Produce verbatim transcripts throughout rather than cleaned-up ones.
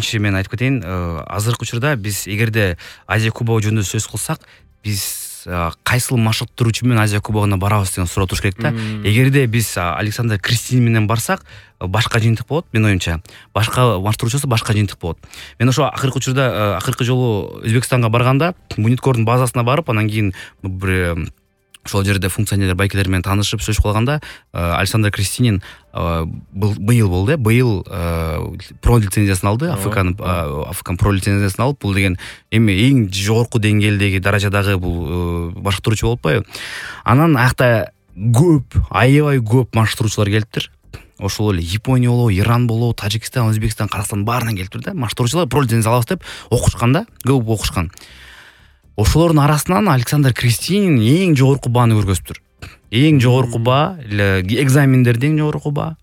биринчи мен айтып кетейин, азыркы учурда биз эгерде Азия кубогу жөнүндө сөз кылсак, биз кайсыл машыктыруучу менен Азия кубогуна барабыз деген суроо туруш керек да. Эгерде биз Александр Кристинин менен барсак, башка жыйынтык болот, менин оюмча. Башка машыктыруучусу башка жыйынтык болот. Мен ошо акыркы учурда, акыркы жолу Өзбекстанга барганда, Буниткордун базасына барып, анан кийин бир ошол жерде функционерлер байкелер менен таанышып сөз кылганда, Александр Кристинин быйыл болду, быйыл про лицензиясын алды, Африкан Африкан про лицензиясын алып, бул деген эми эң жогорку деңгээлдеги даражадагы бул машыктыруучу болуп атпайбы. Анан аякта көп, аябай көп машыктыруучулар келиптир. Ошол эле Япония болобу, Иран болобу, Тажикстан, Өзбекстан, Каракстан баарынан келиптир да. Машыктыруучулар про лицензия алабыз деп окушкан да, көп окушкан. Ошолордун арасынан Александр Кристинин эң жогорку бааны көргөзүптүр. Эң жогорку баа, экзамендерде эң жогорку баа.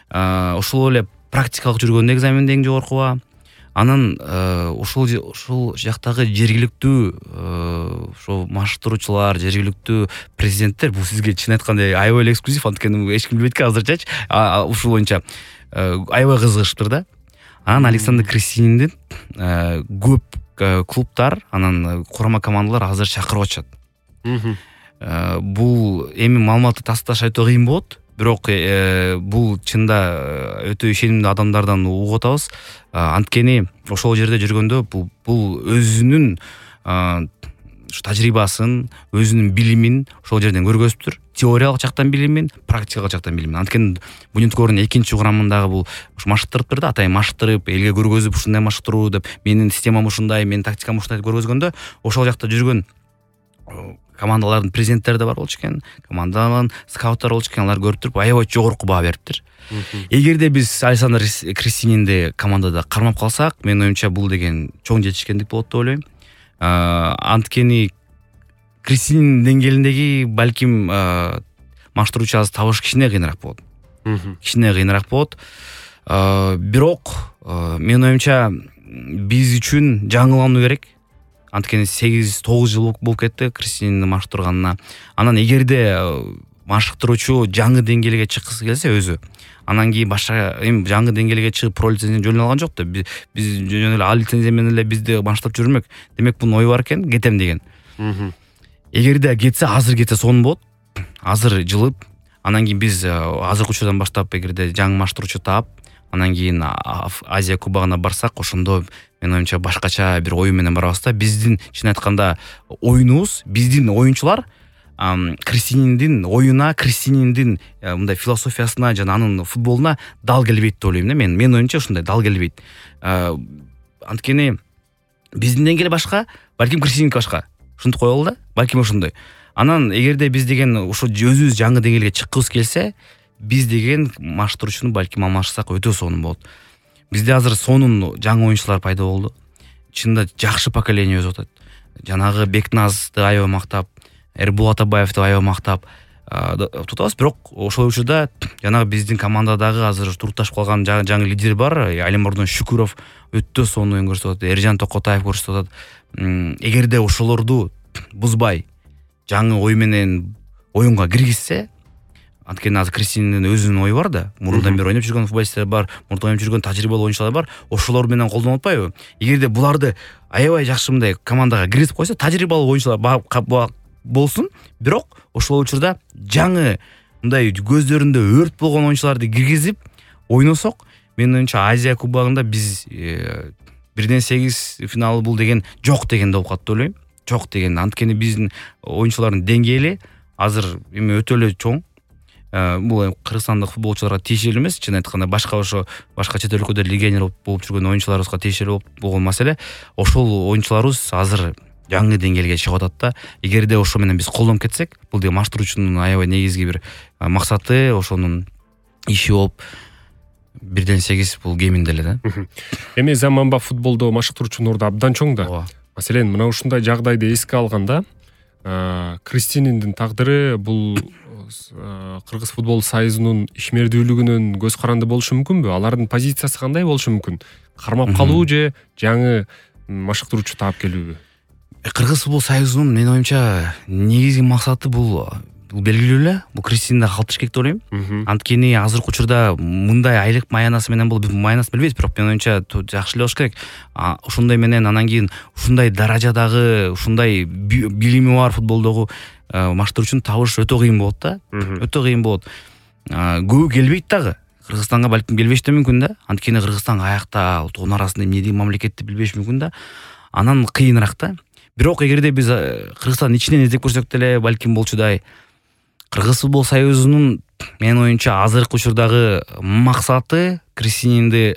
Ошол эле практикалык жүргөндө экзаменде эң жогорку баа. Анан ошол ошол жактагы жергиликтүү ошо машыктыруучулар, жергиликтүү президенттер, бул сизге чын айтканда аябай эле эксклюзив, анткени эч ким билбейт экен азырчачы. Ушул боюнча аябай кызыгыштыр да. Анан Александр Кристининдин көп клубтар, анан курама командалар азыр чакырып атышат. Бул эми маалыматты тасташ айтуу кыйын болот, бирок бул чында өтө ишенимдүү адамдардан угуп атабыз. Анткени ошол жерде жүргөндө бул бул өзүнүн тажрыйбасын, өзүнүн билимин ошол жерден көргөзүптүр. Теориялык жактан билимин, практикалык жактан билимин. Анткени Буниткордун экинчи курамындагы бул машыктырыптыр да, атайын машыктырып, элге көргөзүп, ушундай машыктыруу деп, менин системам ушундай, менин тактикам ушундай деп көргөзгөндө, ошол жакта жүргөн командалардын президенттери да бар болчу экен, командалардын скауттары болчу экен, алар көрүп туруп аябай жогорку баа бериптир. Эгерде биз Александр Кристининди командада кармап калсак, менин оюмча бул деген чоң жетишкендик болот деп ойлойм. Анткени Кристинин деңгээлиндеги балким машыктыруучу азыр табыш кичине кыйыныраак болот. Кичине кыйыныраак болот. Бирок менин оюмча биз үчүн жаңылануу керек. Анткени сегиз тогуз жыл болуп кетти Кристинин машыктырганына. Анан эгерде машыктыруучу жаңы деңгээлге чыккысы келсе өзү, анан кийин башка эми жаңы деңгээлге чыгып про лицензияны жөн алган жок да. Биз жөн эле А лицензия менен эле бизди машыктырып жүрмөк. Демек бунун ою бар экен, кетем деген. Эгерде кетсе, азыр кетсе сонун болот. Азыр жылып, анан кийин биз азыркы учурдан баштап эгерде жаңы машыктыруучу таап, анан кийин Азия кубогуна барсак, ошондо менин оюмча башкача бир ою менен барабыз да. Биздин чын айтканда оюнубуз, биздин оюнчулар Кристининдин оюна, Кристининдин мындай философиясына жана анын футболуна дал келбейт деп ойлойм да. Мен менин оюмча ушундай дал келбейт. Анткени биздин деңгээл башка, балким Кристининки башка. Ушинтип коелу да, балким ошондой. Анан эгерде биз деген ошо өзүбүз жаңы деңгээлге чыккыбыз келсе, биз деген машыктыруучуну балким алмашсак өтө сонун болот. Бизде азыр сонун жаңы оюнчулар пайда болду. Чында жакшы поколение өсүп атат. Жанагы Бекназды аябай мактап, Эрбул Атабаевди аябай мактап тутабыз, бирок ошол учурда жанагы биздин командадагы азыр турукташып калган жаңы лидер бар, Алимордон Шүкүров өтө сонун оюн көрсөтүп атат, Эржан Токотаев көрсөтүп атат. Эгерде ошолорду бузбай жаңы ой менен оюнга киргизсе, анткени азыр Кристининдин өзүнүн ою бар да, мурундан бери ойноп жүргөн футболисттер бар, мурундан ойноп жүргөн тажрыйбалуу оюнчулар бар, ошолор менен колдонуп атпайбы? Эгерде буларды аябай жакшы мындай командага киргизип койсо, тажрыйбалуу оюнчулар болсун, бирок ошол учурда жаңы мындай көздөрүндө өрт болгон оюнчуларды киргизип ойносок, менин оюмча Азия кубогунда биз бирден сегиз финалы бул деген жок деген болуп калат деп ойлойм. Жок деген, анткени биздин оюнчулардын деңгээли азыр эми өтө эле чоң. Бул кыргызстандык футболчуларга тиешелүү эмес, чын айтканда башка ошо башка чет өлкөдө легионер болуп жүргөн оюнчуларыбызга тиешелүү болгон маселе. Ошол оюнчуларыбыз азыр жаңы деңгээлге чыгып атат да. Эгерде ошо менен биз колдонуп кетсек, бул деген машыктыруучунун аябай негизги бир максаты, ошонун иши болуп бирден сегиз бул кеминде эле да. Эми заманбап футболдо машыктыруучунун орду абдан чоң да. Маселен, мына ушундай жагдайды эске алганда, Кристининдин тагдыры бул Кыргыз футбол союзунун ишмердүүлүгүнөн көз каранды болушу мүмкүнбү? Алардын позициясы кандай болушу мүмкүн? Кармап калуу же жаңы машыктыруучу таап келүүбү? Кыргыз футбол союзунун менин оюмча негизги максаты бул бул белгилүү эле, бул Кристинда калтырыш керек деп ойлойм. Анткени азыркы учурда мындай айлык маянасы менен бул маянасы билбейбиз, бирок менин оюмча жакшы эле болуш керек. Ошондой менен анан кийин ушундай даражадагы, ушундай билими бар футболдогу маштар үчүн табыш өтө кыйын болот да. Өтө кыйын болот. Көбү келбейт дагы. Кыргызстанга балким келбеш да мүмкүн да. Анткени Кыргызстан каякта, тогон арасында эмне деген мамлекетти билбеш мүмкүн да. Анан кыйыныраак да. Бирок эгерде биз Кыргызстан ичинен издеп көрсөк деле балким болчудай. Кыргыз футбол союзунун менин оюмча азыркы учурдагы максаты Кристининди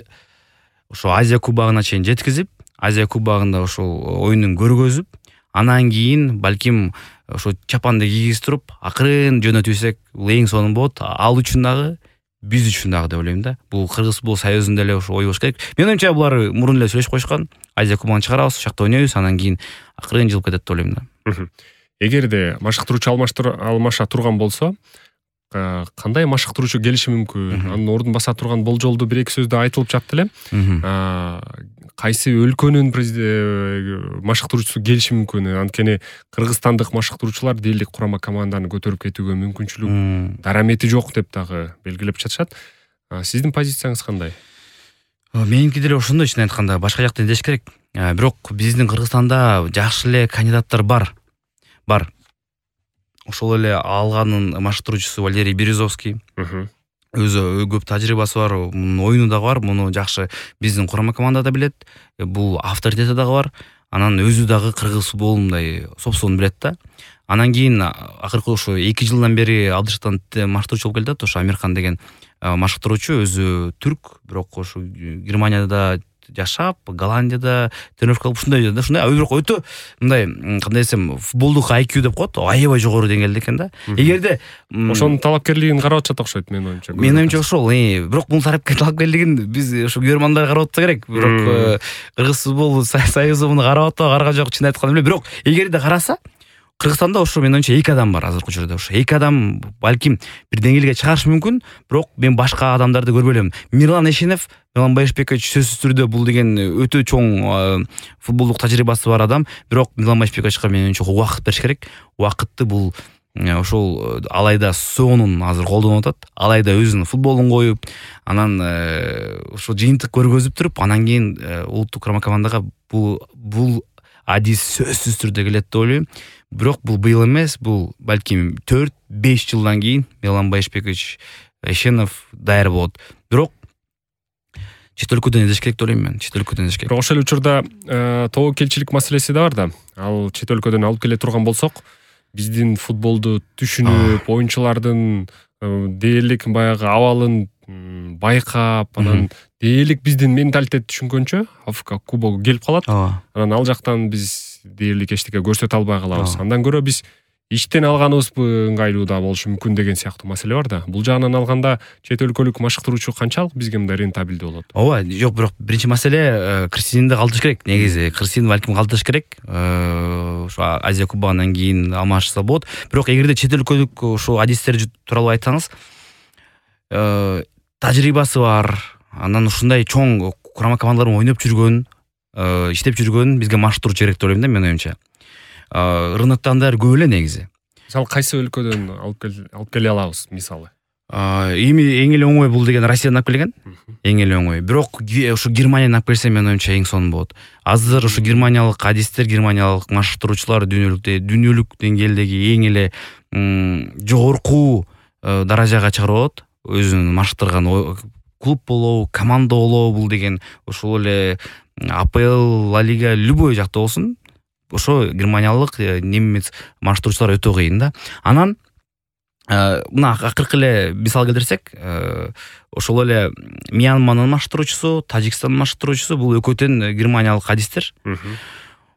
ошо Азия кубогуна чейин жеткизип, Азия кубогунда ошол оюнун көргөзүп, анан кийин балким ошо чапанды кийгизтирип, акырын жөнөтүбсек, бул эң сонун болот. Ал үчүн дагы, биз үчүн дагы деп ойлойм да. Бул Кыргыз футбол союзунда эле ошо ой болуш керек. Менин оюмча булар мурун эле сүйлөшүп койушкан. Азия кубогуна чыгарабыз, ошакта ойнойбуз, анан кийин акырын жылып кетет деп ойлойм да. Эгерде машыктыруучу алмаша турган болсо, кандай машыктыруучу келиши мүмкүн? Анын ордун баса турган болжолду бир эки сөздө айтылып жатты эле. Кайсы өлкөнүн машыктыруучусу келиши мүмкүн? Анткени кыргызстандык машыктыруучулар дээрлик курама команданы көтөрүп кетүүгө мүмкүнчүлүк, дарамети жок деп дагы белгилеп жатышат. Сиздин позицияңыз кандай? Меники деле ошондой, чын айтканда, башка жакта издеш керек. Бирок биздин Кыргызстанда жакшы эле кандидаттар бар. Бар. Ошол эле алганын машыктыруучусу Валерий Березовский. Өзү көп тажрыйбасы бар, мунун оюну дагы бар, муну жакшы биздин курама команда да билет. Бул авторитети дагы бар. Анан өзү дагы кыргыз футболун мындай сопсуун билет да. Анан кийин акыркы ошо эки жылдан бери Алдыштан машыктыруучу болуп келди да, ошо Амирхан деген машыктыруучу, өзү түрк, бирок ошо Германияда жашап, Голландияда тренировка кылып ушундай да, ушундай бирок өтө мындай, кандай десем, футболдук ай кью деп коет, аябай жогору деңгээлде экен да. Эгерде ошонун талапкерлигин карап атышат окшойт менин оюмча. Менин оюмча ошол, бирок бул талапкерлигин биз ошо көрөрмандар карап атса керек. Бирок Кыргыз футбол союзу муну карап атпа, караган жок, чын айтканда эле. Бирок эгерде караса, Кыргызстанда ошо менин оюмча эки адам бар азыркы учурда. Ошо эки адам балким бир деңгээлге чыгарышы мүмкүн, бирок мен башка адамдарды көрбөй элем. Мирлан Эшенов, Милан Байшбекович сөзсүз түрдө бул деген өтө чоң футболдук тажрыйбасы бар адам, бирок Милан Байшбековичке менин оюмча убакыт бериш керек. Убакытты бул ошол алайда сонун азыр колдонуп атат. Алайда өзүнүн футболун коюп, анан ошо жыйынтык көргөзүп туруп, анан кийин улуттук курама командага бул бул адис сөзсүз түрдө келет деп ойлойм. Бирок бул быйыл эмес, бул балким төрт беш жылдан кийин Милан Байшбекович, Эшенов даяр болот. Бирок чет өлкөдөн издеш керек деп ойлойм мен. Чет өлкөдөн издеш керек. Бирок ошол учурда тобокелчилик маселеси да бар да. Ал чет өлкөдөн алып келе турган болсок, биздин футболду түшүнүп, оюнчулардын дээрлик баягы абалын байкап, анан дээрлик биздин менталитет түшүнгөнчө Африка кубогу келип калат. Анан ал жактан биз дээрлик эчтеке көрсөтө албай калабыз. Андан көрө биз иштен алганыбызбы ыңгайлуу да болушу мүмкүн деген сыяктуу маселе бар да. Бул жагынан алганда чет өлкөлүк машыктыруучу канчалык бизге мындай рентабелдүү болот? Ооба, жок, бирок биринчи маселе Кристинди калтырыш керек. Негизи Кристин балким калтырыш керек. Ошо Азия кубогунан кийин алмашса болот. Бирок эгерде чет өлкөлүк ошо адистер тууралуу айтсаңыз, тажрыйбасы бар, анан ушундай чоң курама командалар ойноп жүргөн, иштеп жүргөн бизге машыктыруучу керек деп ойлойм да, менин оюмча. Рыноктон да көп эле негизи. Мисалы кайсы өлкөдөн алып келе алабыз, мисалы? Эми эң эле оңой бул деген Россиядан алып келген. Эң эле оңой. Бирок ошо Германиядан алып келсе, менин оюмча эң сонун болот. Азыр ошо германиялык адистер, германиялык машыктыруучулар дүйнөлүктө дүйнөлүк деңгээлдеги эң эле жогорку даражага чыгарып алат. Өзүнүн машыктырган клуб болобу, команда болобу, бул деген ошол эле А П Л, Ла Лига, любой жакта болсун, ошо германиялык, немец машыктыруучулар өтө кыйын да. Анан мына акыркы эле мисал келтирсек, ошол эле Мьянманын машыктыруучусу, Тажикстандын машыктыруучусу, бул экөөтөн германиялык адистер.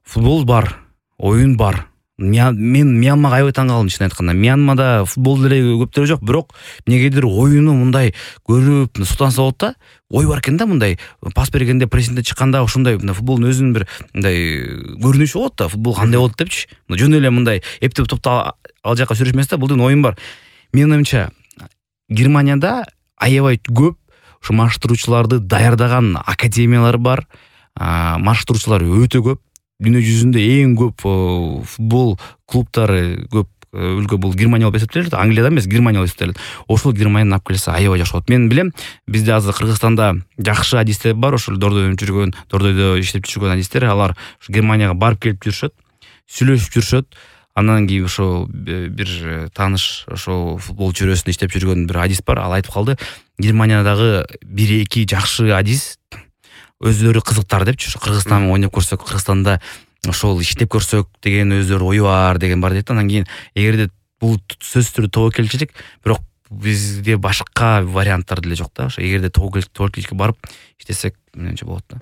Футбол бар, оюн бар. Мен Мьянмага аябай таң калдым, чын айтканда. Мьянмада футбол деле көптөр жок, бирок эмнегедир оюну мындай көрүп, сутанса болот да. Ой бар экен да, мындай пас бергенде, прессингде чыкканда ошондой футболдун өзүнүн бир мындай көрүнүшү болот да, футбол кандай болот депчи. Жөн эле мындай эптеп топто ал жака сүрүш эмес да, бул деген оюн бар. Менин оюмча, Германияда аябай көп ошо машыктыруучуларды даярдаган академиялар бар. Машыктыруучулар өтө көп. Дүйнө жүзүндө эң көп футбол клубтары, көп өлкө бул Германия болуп эсептелет, Англияда эмес, Германия болуп эсептелет. Ошол Германияны алып келсе аябай жакшы болот. Мен билем, бизде азыр Кыргызстанда жакшы адистер бар, ошол Дордой жүргөн, Дордойдо иштеп жүргөн адистер, алар Германияга барып келип жүрүшөт, сүйлөшүп жүрүшөт. Андан кийин ошо бир тааныш, ошо футбол чөйрөсүндө иштеп жүргөн бир адис бар, ал айтып калды, Германиядагы бир эки жакшы адис өздөрү кызыктар депчи, ошо Кыргызстан ойноп көрсөк, Кыргызстанда ошол иштеп көрсөк деген өздөрү ою бар деген бар дейт. Андан кийин эгерде бул сөзсүз түрдө тобокелчилик, бирок бизде башка варианттар деле жок да. Ошо эгерде тобокелчиликке барып иштесек, менимче болот да.